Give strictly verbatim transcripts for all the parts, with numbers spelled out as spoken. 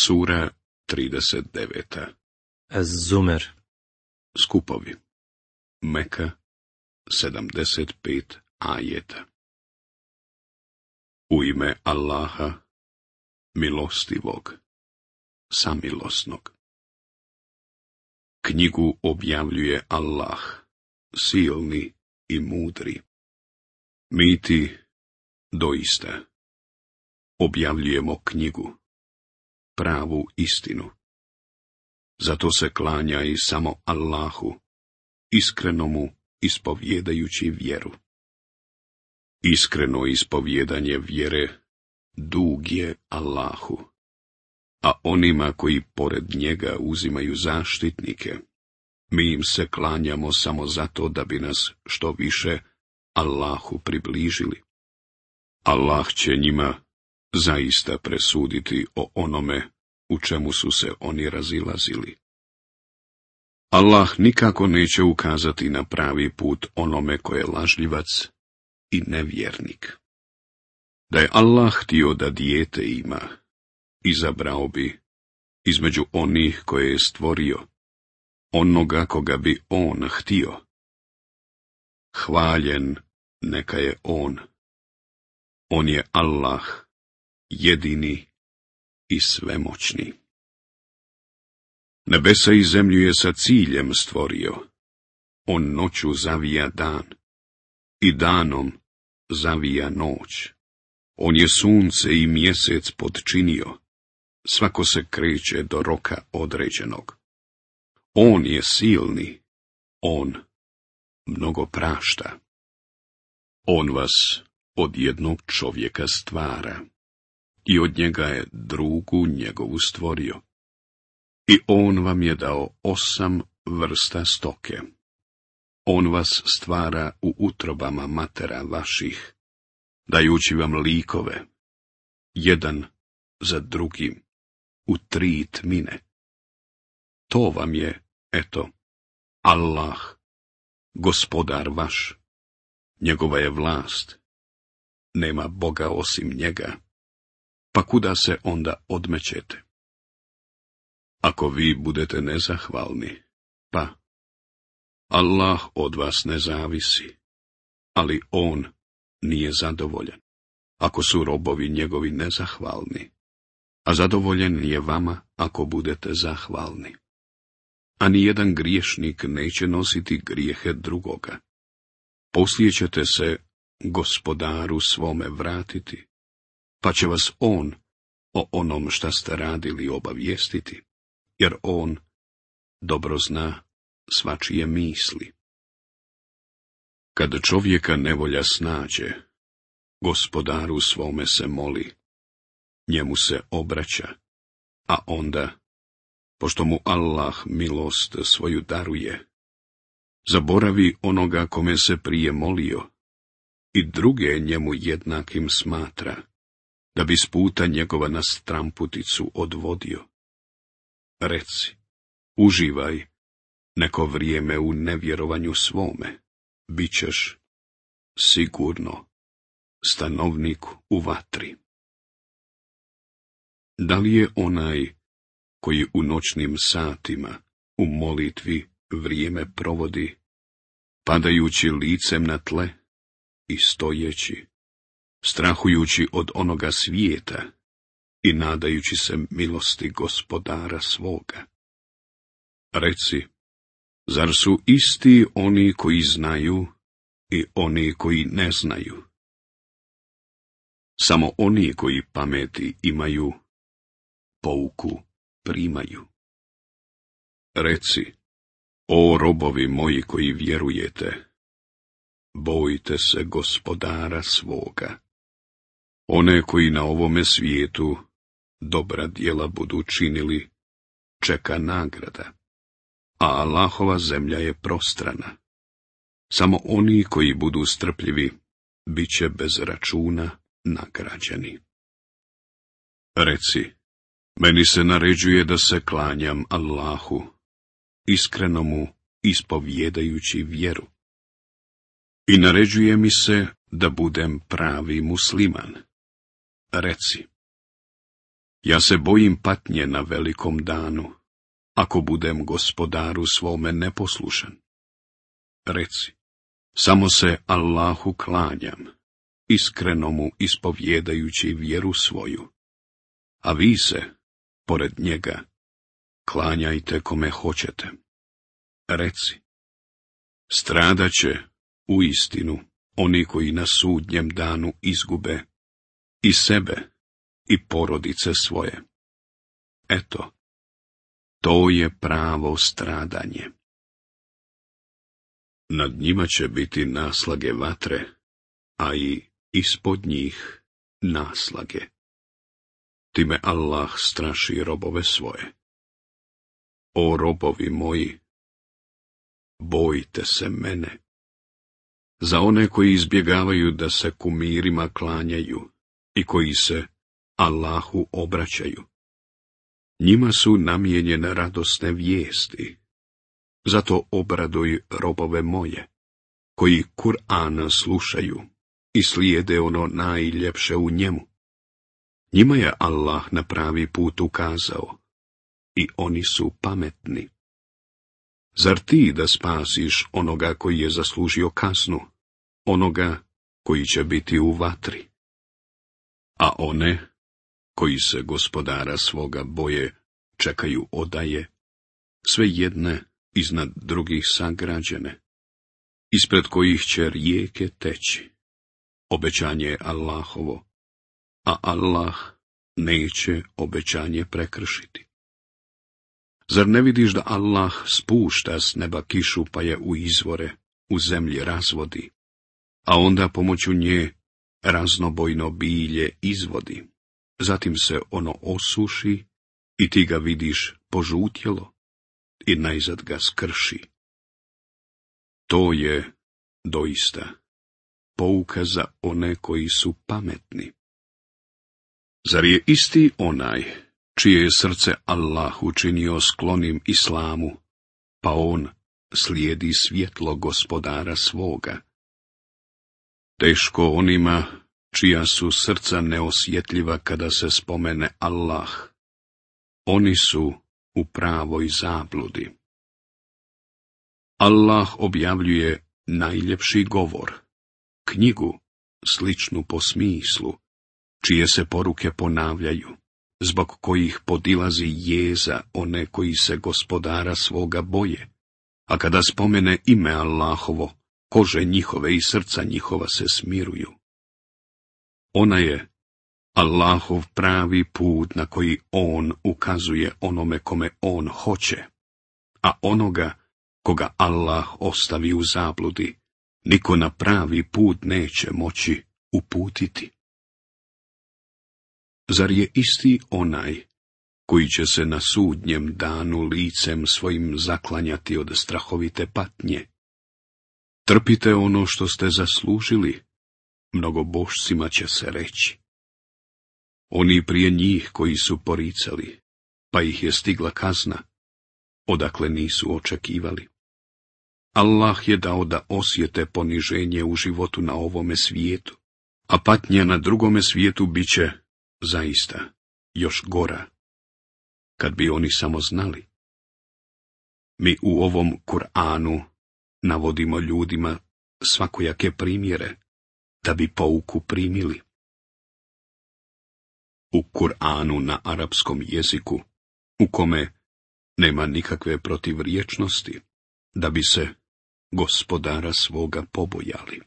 Sura trideset deveta. Az-Zumer. Skupovi. Meka, sedamdeset pet ajeta. U ime Allaha, milostivog, samilosnog. Knjigu objavljuje Allah, silni i mudri. Mi ti, doista, objavljujemo knjigu, pravu istinu. Zato se klanjaj samo Allahu, iskrenomu ispovjedajući vjeru. Iskreno ispovjedanje vjere dug je Allahu, a onima koji pored njega uzimaju zaštitnike, mi im se klanjamo samo zato da bi nas što više Allahu približili. Allah će njima zaista presuditi o onome u čemu su se oni razilazili. Allah nikako neće ukazati na pravi put onome ko je lažljivac i nevjernik. Da je Allah htio da dijete ima, izabrao bi između onih koje je stvorio, onoga koga bi on htio. Hvaljen neka je on. On je Allah, jedini i svemoćni. Nebesa i zemlju je sa ciljem stvorio. On noću zavija dan i danom zavija noć. On je sunce i mjesec podčinio. Svako se kreće do roka određenog. On je silni. On mnogo prašta. On vas od jednog čovjeka stvara i od njega je drugu njegovu stvorio. I on vam je dao osam vrsta stoke. On vas stvara u utrobama matera vaših, dajući vam likove, jedan za drugim, u tri tmine. To vam je, eto, Allah, gospodar vaš, njegova je vlast, nema Boga osim njega, pa kuda se onda odmećete? Ako vi budete nezahvalni, pa Allah od vas ne zavisi, ali on nije zadovoljan. Ako su robovi njegovi nezahvalni, a zadovoljen je vama ako budete zahvalni. A nijedan griješnik neće nositi grijehe drugoga. Poslije ćete se gospodaru svome vratiti, pa će vas on o onom šta ste radili obavijestiti, jer on dobro zna svačije misli. Kad čovjeka nevolja snađe, gospodaru svome se moli, njemu se obraća, a onda, pošto mu Allah milost svoju daruje, zaboravi onoga kome se prije molio i druge njemu jednakim smatra, da bi s puta njegova na stramputicu odvodio. Reci, uživaj neko vrijeme u nevjerovanju svome, bit ćeš sigurno stanovnik u vatri. Da li je onaj koji u noćnim satima u molitvi vrijeme provodi, padajući licem na tle i stojeći, strahujući od onoga svijeta i nadajući se milosti gospodara svoga? Reci, zar su isti oni koji znaju i oni koji ne znaju? Samo oni koji pameti imaju, pouku primaju. Reci, o robovi moji koji vjerujete, bojte se gospodara svoga. One koji na ovome svijetu dobra djela budu činili, čeka nagrada, a Allahova zemlja je prostrana. Samo oni koji budu strpljivi, bit će bez računa nagrađeni. Reci, meni se naređuje da se klanjam Allahu, iskrenomu ispovjedajući vjeru. I naređuje mi se da budem pravi musliman. Reci, Ja se bojim patnje na velikom danu, ako budem gospodaru svome neposlušan. Reci, samo se Allahu klanjam, iskreno mu ispovjedajući vjeru svoju, a vi se, pored njega, klanjajte kome hoćete. Reci, stradat će, u istinu, oni koji na sudnjem danu izgube i sebe i porodice svoje. Eto, to je pravo stradanje. Nad njima će biti naslage vatre, a i ispod njih naslage. Time Allah straši robove svoje. O robovi moji, bojte se mene. Za one koji izbjegavaju da se kumirima klanjaju i koji se Allahu obraćaju, njima su namijenjene radosne vijesti. Zato obraduj robove moje, koji Kur'ana slušaju i slijede ono najljepše u njemu. Njima je Allah na pravi put ukazao i oni su pametni. Zar ti da spasiš onoga koji je zaslužio kaznu, onoga koji će biti u vatri? A one koji se gospodara svoga boje čekaju odaje, sve jedne iznad drugih sagrađene, ispred kojih će rijeke teći. Obećanje je Allahovo, a Allah neće obećanje prekršiti. Zar ne vidiš da Allah spušta s neba kišu pa je u izvore, u zemlji razvodi, a onda pomoću nje raznobojno bilje izvodi, zatim se ono osuši i ti ga vidiš požutjelo i najzad ga skrši. To je doista pouka za one koji su pametni. Zar je isti onaj čije je srce Allah učinio sklonim islamu, pa on slijedi svjetlo gospodara svoga? Teško onima čija su srca neosjetljiva kada se spomene Allah. Oni su u pravoj zabludi. Allah objavljuje najljepši govor, knjigu sličnu po smislu, čije se poruke ponavljaju, zbog kojih podilazi jeza one koji se gospodara svoga boje, a kada spomene ime Allahovo, kože njihove i srca njihova se smiruju. Ona je Allahov pravi put na koji on ukazuje onome kome on hoće, a onoga koga Allah ostavi u zabludi, niko na pravi put neće moći uputiti. Zar je isti onaj koji će se na sudnjem danu licem svojim zaklanjati od strahovite patnje? Trpite ono što ste zaslužili, mnogobožcima će se reći. Oni prije njih koji su poricali, pa ih je stigla kazna, odakle nisu očekivali. Allah je dao da osjete poniženje u životu na ovome svijetu, a patnja na drugome svijetu bit će zaista još gora, kad bi oni samo znali. Mi u ovom Kur'anu navodimo ljudima svakojake primjere, da bi pouku primili. U Kur'anu na arapskom jeziku, u kome nema nikakve protivriječnosti, da bi se gospodara svoga pobojali.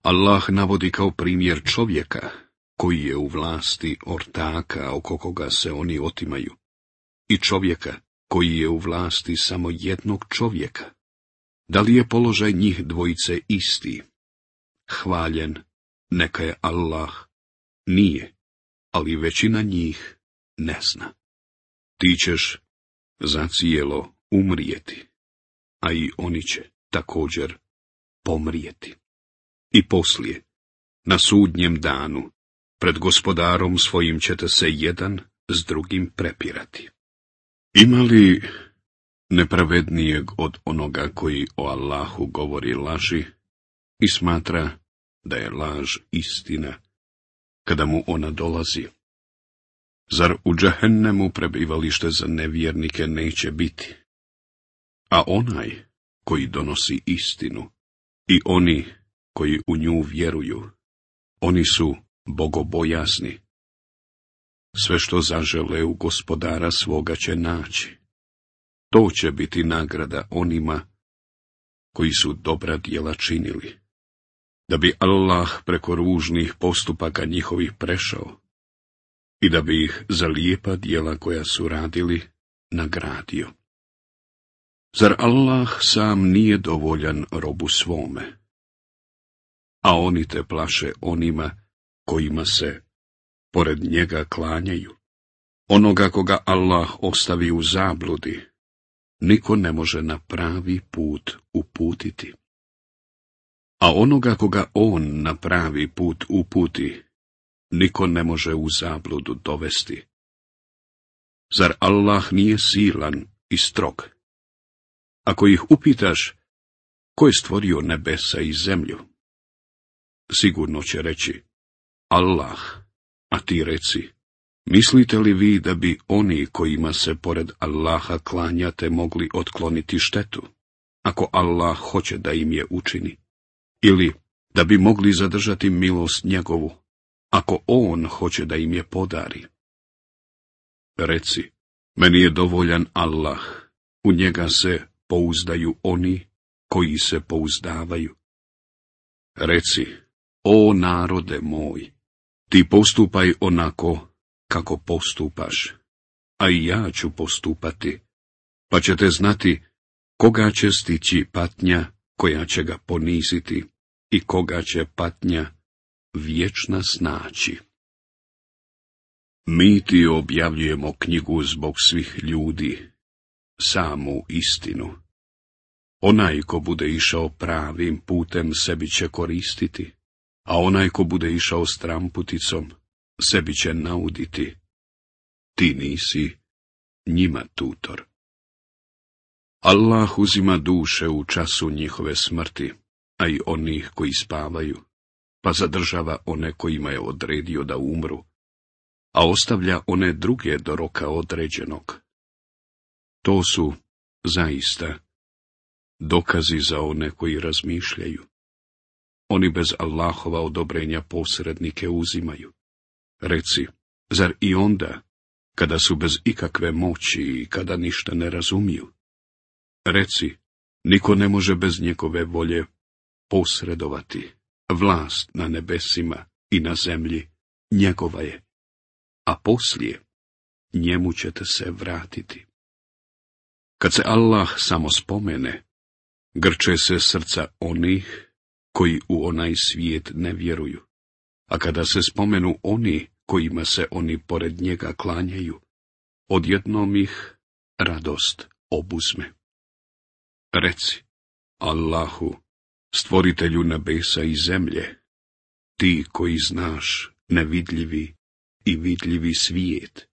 Allah navodi kao primjer čovjeka, koji je u vlasti ortaka oko koga se oni otimaju, i čovjeka koji je u vlasti samo jednog čovjeka. Da li je položaj njih dvojice isti? Hvaljen neka je Allah, nije, ali većina njih ne zna. Ti ćeš zacijelo umrijeti, a i oni će također pomrijeti. I poslije, na sudnjem danu, pred gospodarom svojim ćete se jedan s drugim prepirati. Ima li nepravednijeg od onoga koji o Allahu govori laži i smatra da je laž istina, kada mu ona dolazi? Zar u džehennemu prebivalište za nevjernike neće biti? A onaj koji donosi istinu i oni koji u nju vjeruju, oni su bogobojasni. Sve što zažele u Gospodara svoga će naći. To će biti nagrada onima koji su dobra djela činili, da bi Allah preko ružnih postupaka njihovih prešao i da bi ih za lijepa djela koja su radili nagradio. Zar Allah sam nije dovoljan robu svome? A oni te plaše onima kojima se pored njega klanjaju. Onoga koga Allah ostavi u zabludi, niko ne može na pravi put uputiti. A onoga koga on na pravi put uputi, niko ne može u zabludu dovesti. Zar Allah nije silan i strog? Ako ih upitaš, ko je stvorio nebesa i zemlju? Sigurno će reći, Allah, a ti reci, mislite li vi da bi oni kojima se pored Allaha klanjate mogli otkloniti štetu, ako Allah hoće da im je učini? Ili da bi mogli zadržati milost njegovu, ako on hoće da im je podari? Reci, meni je dovoljan Allah, u njega se pouzdaju oni koji se pouzdavaju. Reci, o narode moj, ti postupaj onako kako postupaš, a i ja ću postupati, pa ćete znati koga će stići patnja koja će ga poniziti i koga će patnja vječna snaći. Mi ti objavljujemo knjigu zbog svih ljudi, samu istinu. Onaj ko bude išao pravim putem sebi će koristiti, a onaj ko bude išao stramputicom sebi će nauditi. Ti nisi njima tutor. Allah uzima duše u času njihove smrti, a i onih koji spavaju, pa zadržava one kojima je odredio da umru, a ostavlja one druge do roka određenog. To su, zaista, dokazi za one koji razmišljaju. Oni bez Allahova odobrenja posrednike uzimaju. Reci, zar i onda, kada su bez ikakve moći i kada ništa ne razumiju? Reci, niko ne može bez njegove volje posredovati. Vlast na nebesima i na zemlji njegova je, a poslije njemu ćete se vratiti. Kad se Allah samo spomene, grče se srca onih koji u onaj svijet ne vjeruju, a kada se spomenu oni kojima se oni pored njega klanjaju, odjednom ih radost obuzme. Reci, Allahu, stvoritelju nebesa i zemlje, ti koji znaš nevidljivi i vidljivi svijet,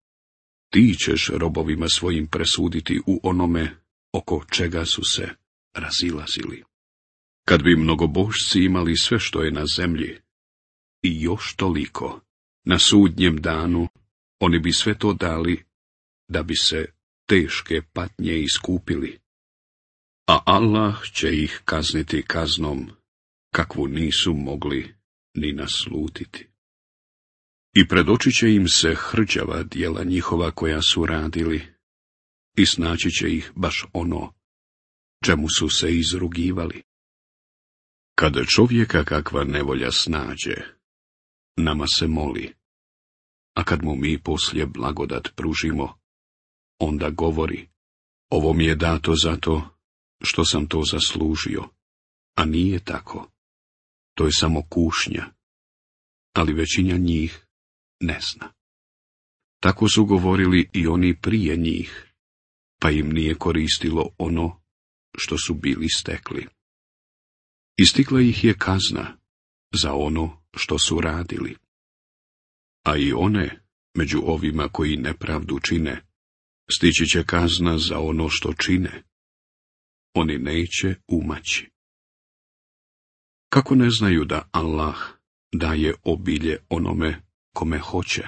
ti ćeš robovima svojim presuditi u onome oko čega su se razilazili. Kad bi mnogobožci imali sve što je na zemlji i još toliko, na sudnjem danu oni bi sve to dali da bi se teške patnje iskupili, a Allah će ih kazniti kaznom kakvu nisu mogli ni naslutiti. I predočit će im se hrđava djela njihova koja su radili i snaći će ih baš ono čemu su se izrugivali. Kada čovjeka kakva nevolja snađe, nama se moli, a kad mu mi poslije blagodat pružimo, onda govori, ovo mi je dato zato što sam to zaslužio, a nije tako. To je samo kušnja, ali većina njih ne zna. Tako su govorili i oni prije njih, pa im nije koristilo ono što su bili stekli. Istigla ih je kazna za ono što su radili. A i one, među ovima koji nepravdu čine, stići će kazna za ono što čine. Oni neće umaći. Kako ne znaju da Allah daje obilje onome kome hoće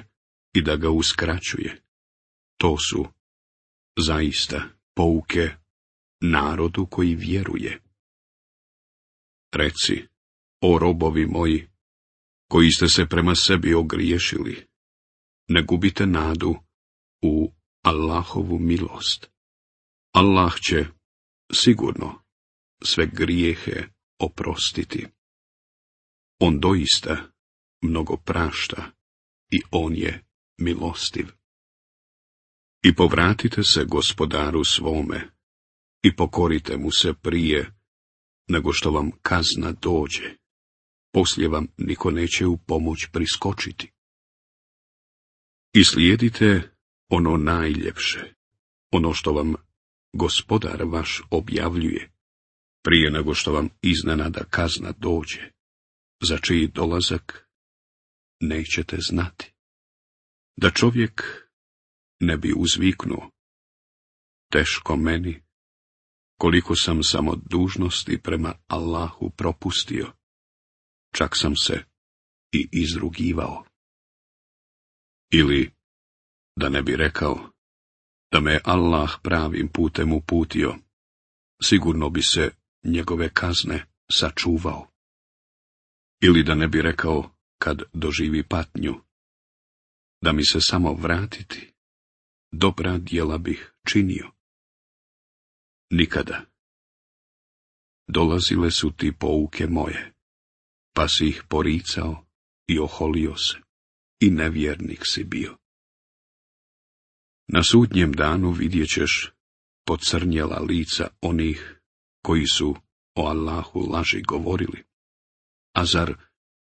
i da ga uskraćuje. To su zaista pouke narodu koji vjeruje. Reci, o robovi moji, koji ste se prema sebi ogriješili, ne gubite nadu u Allahovu milost. Allah će sigurno sve grijehe oprostiti. On doista mnogo prašta i on je milostiv. I povratite se gospodaru svome i pokorite mu se prije nego što vam kazna dođe. Poslije vam niko neće u pomoć priskočiti. I slijedite ono najljepše, ono što vam gospodar vaš objavljuje, prije nego što vam iznenada kazna dođe, za čiji dolazak nećete znati. Da čovjek ne bi uzviknuo, teško meni, koliko sam samo dužnosti prema Allahu propustio, čak sam se i izrugivao. Ili, da ne bi rekao, da me Allah pravim putem uputio, sigurno bi se njegove kazne sačuvao. Ili da ne bi rekao, kad doživi patnju, da mi se samo vratiti, dobra djela bih činio. Nikada. Dolazile su ti pouke moje, pa si ih poricao i oholio se, i nevjernik si bio. Na sudnjem danu vidjet ćeš pocrnjela lica onih koji su o Allahu laži govorili. A zar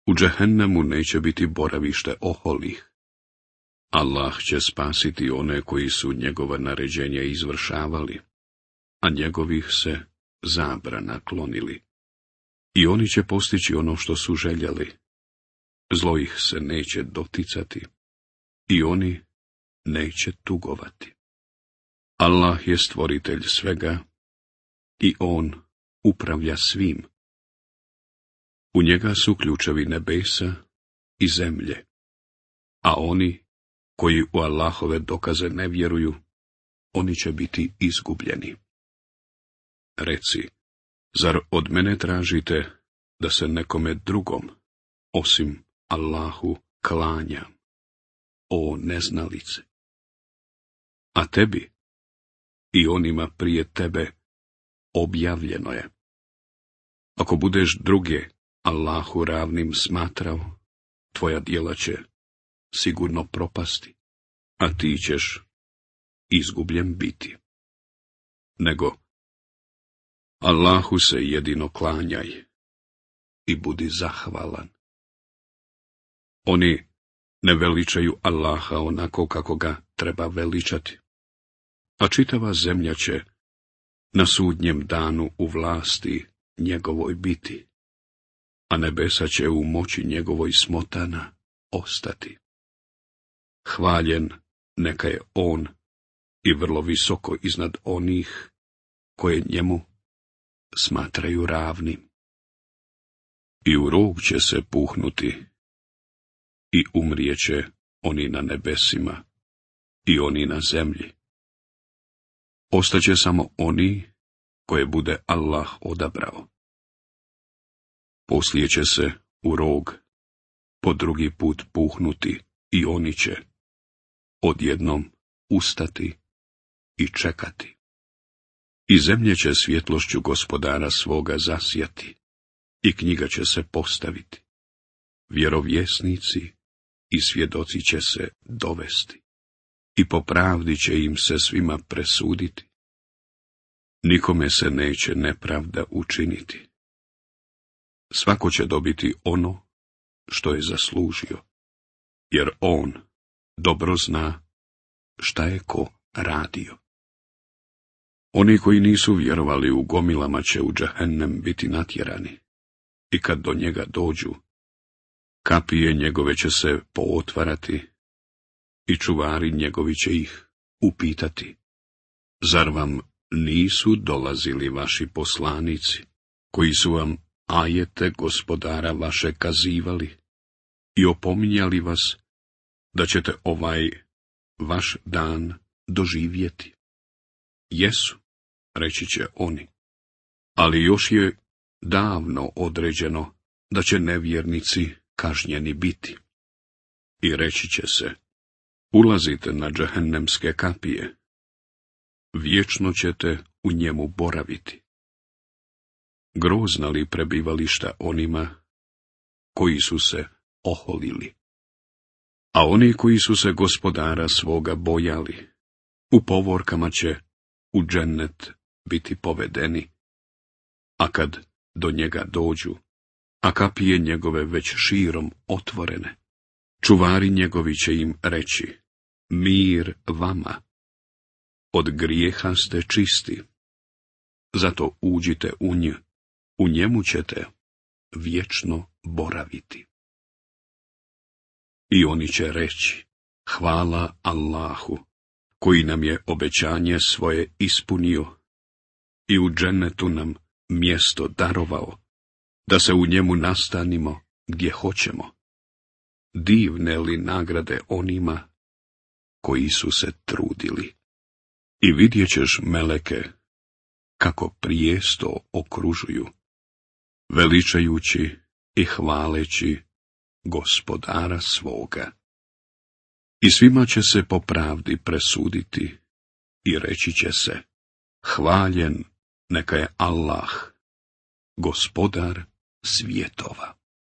u džehennemu neće biti boravište oholih? Allah će spasiti one koji su njegova naređenja izvršavali, a njegovih se zabrana klonili. I oni će postići ono što su željeli. Zlo ih se neće doticati i oni neće tugovati. Allah je stvoritelj svega i on upravlja svim. U njega su ključevi nebesa i zemlje, a oni koji u Allahove dokaze ne vjeruju, oni će biti izgubljeni. Reci, zar od mene tražite da se nekome drugom, osim Allahu, klanjam, o neznalice? A tebi i onima prije tebe objavljeno je. Ako budeš druge Allahu ravnim smatrao, tvoja djela će sigurno propasti, a ti ćeš izgubljen biti. Nego, Allahu se jedino klanjaj i budi zahvalan. Oni ne veličaju Allaha onako kako ga treba veličati, a čitava zemlja će na sudnjem danu u vlasti njegovoj biti, a nebesa će u moći njegovoj smotana ostati. Hvaljen neka je on i vrlo visoko iznad onih koje njemu smatraju ravnim. I u rog će se puhnuti i umrijeće oni na nebesima i oni na zemlji. Ostaće samo oni koje bude Allah odabrao. Poslije će se u rog po drugi put puhnuti i oni će odjednom ustati i čekati. I zemlje će svjetlošću gospodara svoga zasjati i knjiga će se postaviti. Vjerovjesnici i svjedoci će se dovesti i po pravdi će im se svima presuditi. Nikome se neće nepravda učiniti. Svako će dobiti ono što je zaslužio, jer on dobro zna šta je ko radio. Oni koji nisu vjerovali u gomilama će u džehennem biti natjerani, i kad do njega dođu, kapije njegove će se pootvarati i čuvari njegovi će ih upitati: zar vam nisu dolazili vaši poslanici, koji su vam ajete gospodara vaše kazivali i opominjali vas da ćete ovaj vaš dan doživjeti? Jesu, reći će oni, ali još je davno određeno da će nevjernici kažnjeni biti. I reći će se, ulazite na džehennemske kapije, vječno ćete u njemu boraviti. Grozna li prebivališta onima koji su se oholili? A oni koji su se gospodara svoga bojali, u povorkama će u džennet biti povedeni, a kad do njega dođu, a kapije njegove već širom otvorene, čuvari njegovi će im reći, mir vama, od grijeha ste čisti, zato uđite u nj, u njemu ćete vječno boraviti. I oni će reći, hvala Allahu, koji nam je obećanje svoje ispunio i u džennetu nam mjesto darovao, da se u njemu nastanimo gdje hoćemo. Divne li nagrade onima koji su se trudili. I vidjet ćeš meleke kako prijesto okružuju, veličajući i hvaleći gospodara svoga. I svima će se po pravdi presuditi i reći će se, hvaljen neka je Allah, gospodar svjetova.